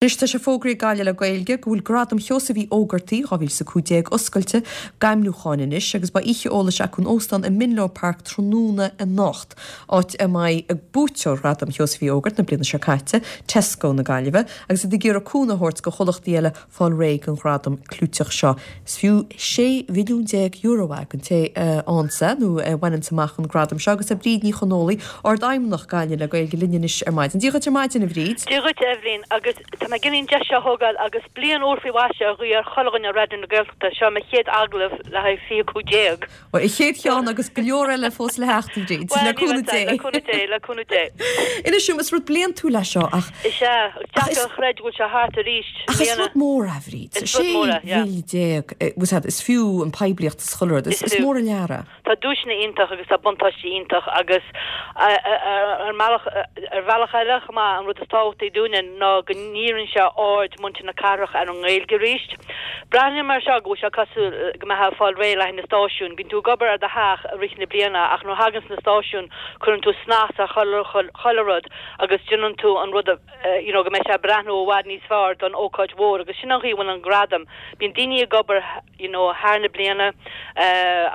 Anois tá sé fógraithe ag Gaillimh le Gaeilge go bhfuil Gradam Sheosaimh Uí Ógartaigh 2015 oscailte d'ainmniúcháin anois agus beidh oíche eolais acu in óstán i Menlo Park tráthnóna anocht, áit a mbeidh buaiteoir Ghradam Sheosaimh Uí Ógartaigh na bliana seo caite, Tesco na Gaillimhe, agus iad ag iarraidh cúnamh a thabhairt do chomhlachtaí eile fáil réidh don ghradam clúiteach seo. Is fiú €16 mhilliún é don té a fhaigheanns é, nó a bhaineanns amach an gradam seo, agus tá Bríd Ní Chonfhaola, Ard-Fheidhmeannach Gaillimh le Gaeilge linn anois ar maidin. Dia dhuit ar maidin, a Bhríd. Dia dhuit, a Eibhlín, agus tá mé ag iarraidh an deis seo a thógáil agus bliain úr faoi mhaise a ghuí ar chuile dhuine ar Raidió na Gaeltachta. Seo mo chéad agallamh le haghaidh 2015. Bhuel, an chéad cheann agus go leor eile fós le theacht, a Bhríd. Bhuel, le cúnamh Dé. Le cúnamh Dé, le cúnamh Dé. Inis dom, is rud bliantúil é seo ach. Is ea, is deacair a chreidiúint go bhfuil sé thart arís. Ach is rud mór é, a Bhríd. Is rud mór é, yeah. 16 mhíle, bhfuil a fhios agat, is fiú an poiblíocht is chuile rud. Is mór an lear é. Tá duaiseanna iontach agus tá buntáistí iontach agus ar mbealach, ar bhealach eile chomh maith, an rud is tábhachtaí dúinne ná go ndíríonn sé aird muintir na cathrach ar an nGaeilge arís. Breathnaím air seo go bhfuil sé cosúil go mbeifeá ag fáil réidh le haghaidh na stáisiún. Bíonn tú ag obair ar do theach i rith na bliana ach nuair a thaganns na stáisiúin cuireann tú snas ar chuile rud agus déanann tú an rud you know go mbeidh sé ag breathnú i bhfad níos fearr don ócáid mhór agus sin an chaoi a bhfuil an gradam. Bíonn daoine ag obair you know thar na bliana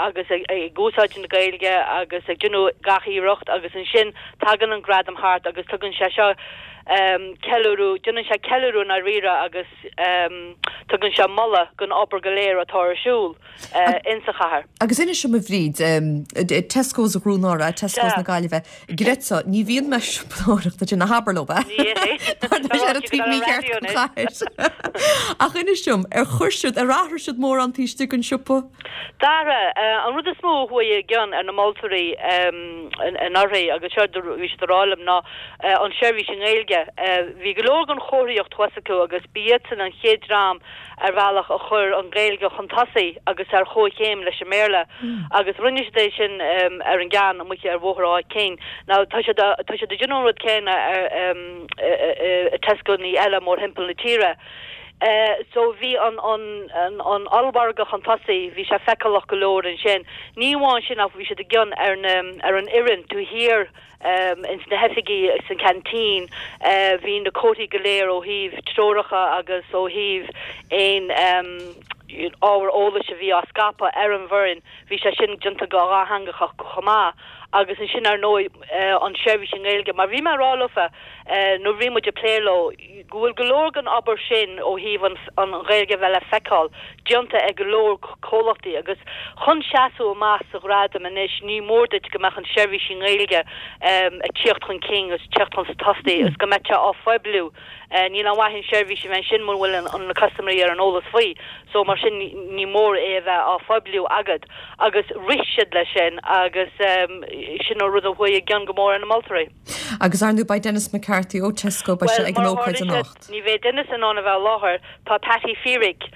agus ag úsáid na Gaeilge agus ag déanamh gach iarracht agus ansin tagann an gradam thart agus tugann sé seo ceiliúradh, déanann sé ceiliúradh i ndáiríre agus tugann sé moladh don obair go léir atá ar siúl insa chathair. Agus inis dom a Bhríd, Tesco's Dhún Ardghail, Tesco's na Gaillimhe, Greta, ní bhíonn mé ag siopadóireacht ansin, ná habair leo é. Mar tá sé ar an taobh mícheart den chathair. Ach inis dom, ar chuir siad, ar athraigh siad mórán taobh istigh den siopa? D'athraigh. An rud is mó a chuaigh i gcion ar na moltóirí anuraidh, agus seo a bhí siad a rá liom, ná an tseirbhís i nGaeilge. Bhí go leor den chomharthaíocht thuas acu agus ba iadsan an chéad dream ar bhealach a chuir an Ghaeilge chun tosaigh agus ar chomhchéim leis an mBéarla agus rinne siad é sin ar an gceann amuigh ar Bhóthar Áth Cinn. Now tá siad tá siad ag déanamh an rud céanna ar i Tescoanna eile mórthimpeall na tíre. So bhí an an an ollmhargadh chun tosaigh, bhí sé feiceálach go leor ansin. Ní amháin sin ach bhí siad i gcion ar na ar an fhoireann taobh thiar ins na hoifigí san canteen bhí na comharthaí go léir ó thaobh treoracha agus ó thaobh aon ábhar eolais a bhí á scaipeadh ar an bhfoireann, bhí sé sin déanta go dhátheangach chomh maith. Agus ansin ar ndóigh an seirbhís i nGaeilge mar bhí mé ag rá leofa nuair a bhí muid ag plé leo, go bhfuil go leor den obair sin ó thaobh an Ghaeilge a bheith le feiceáil déanta ag go leor comhlachtaí agus chun seasamh amach sa ghradam anois ní mór duit go mbeadh an seirbhís i nGaeilge ag tíocht chun cinn agus tíocht chun tosaigh agus go mbeadh sé á phoibliú. Níl aon mhaith an seirbhís a bheith ansin muna bhfuil na custaiméirí ar an eolas faoi so mar sin ní mór é a bheith á phoibliú agat agus rith siad leis sin agus sin an rud a chuaigh i gcion go mór ar na moltóirí. Agus ar ndóigh beidh Denis McCarthy ó Tesco, beidh sé ag an ócáid anocht. Ní bheidh Denis in ann a bheith i láthair, tá Patty Feerick,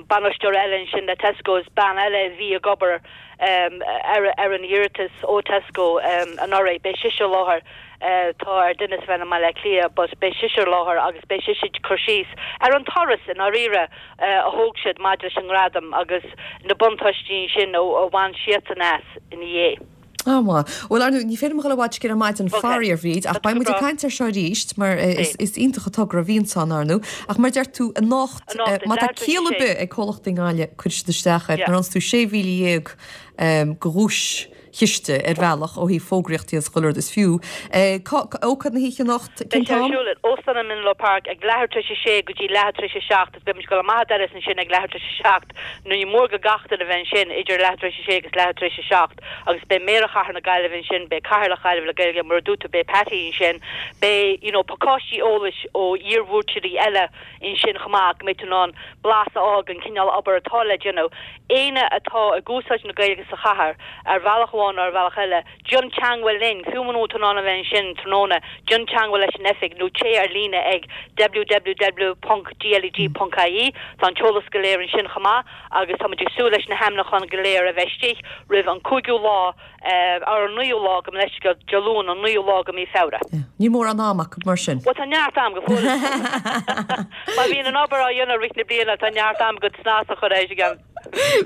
bainisteoir eile ansin le Tesco, is bean eile a bhí ag obair ar an iarratas ó Tesco anuraidh, beidh sise i láthair. Tá ar Denis a bheith i mBaile Átha Cliath but beidh sise i láthair agus beidh sise ag cur síos ar an turas i ndáiríre a thóg siad maidir leis an ngradam agus na buntáistí ansin a bhain siadsan as ina dhiaidh. Á, maith. Bhuel, ar ndóigh, ní féidir liom a dhul i bhfad siar ar maidin, faraor, a Bhríd, ach beidh muid ag caint air seo arís, mar is iontach an togra a bhíonns ann, ar ndóigh. Ach mar a deir tú, anocht, má tá ciall ar bith ag comhlachtaí i nGaillimh, cuirfidh siad isteach air. Nuair a fhaigheanns tú 16,000 de dhuaischiste ar bhealach ó thaobh fógraíochtaí agus chuile rud is fiú. Ócáid na hoíche anocht, cén t-am? Beidh sé ar siúl in Óstán an Menlo Park ag leathuair tar éis a sé go dtí leathuair tar éis a seacht. Beidh muid ag dul amach an doras ansin ag leathuair tar éis a 7 nó ní mór do gach duine a bheith ansin idir leathuair tar éis a 6 agus leathuair tar éis a 7 agus beidh Méara Chathair na Gaillimhe ansin, beidh Cathaoirleach Ghaillimh le Gaeilge, mar a dúirt tú, beidh Patty ansin, beidh you know pacáistí eolais ó iarbhuaiteoirí eile ansin chomh maith go mbeidh tú in ann blas a fháil den chineál obair atá le déanamh. Éinne atá ag úsáid na Gaeilge sa chathair ar bhealach amháin nó ar bhealach eile, Déan teangmháil linn, fiú muna bhfuil tú in ann a bheith ansin tráthnóna, déan teangmháil leis an oifig nó téigh ar líne ag www.gleg.ie. Tá an t-eolas go léir ansin chomh maith agus tá muid ag súil leis na hainmniúcháin go léir a bheith istigh roimh an cúigiú lá, ar an naoú lá, gabh mo leithscéal, Dé Luain an naoú lá de mhí Feabhra. Níl mórán ama acu mar sin. Bhuel, tá neart am go fóill. Má bhíonn an obair á dhéanamh i rith na bliana, tá neart am agat snas a chur air.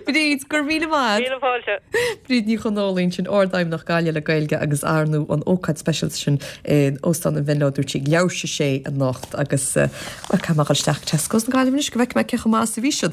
Bríd, go raibh míle maith a't. Míle fáilte. Bríd Ní Chonfhaola ansin, Ardfheidhmeannach Gaillimh le Gaeilge agus ar ndóigh an ócáid speisialta sin in Óstán an Mhenlo, dúirt sí, ag leathuair tar éis a sé anocht agus, bhuel, caithfidh mé a dhul isteach Tesco's na Gaillimhe anois go bhfeicfidh mé cé chomh maith is a bhí siad.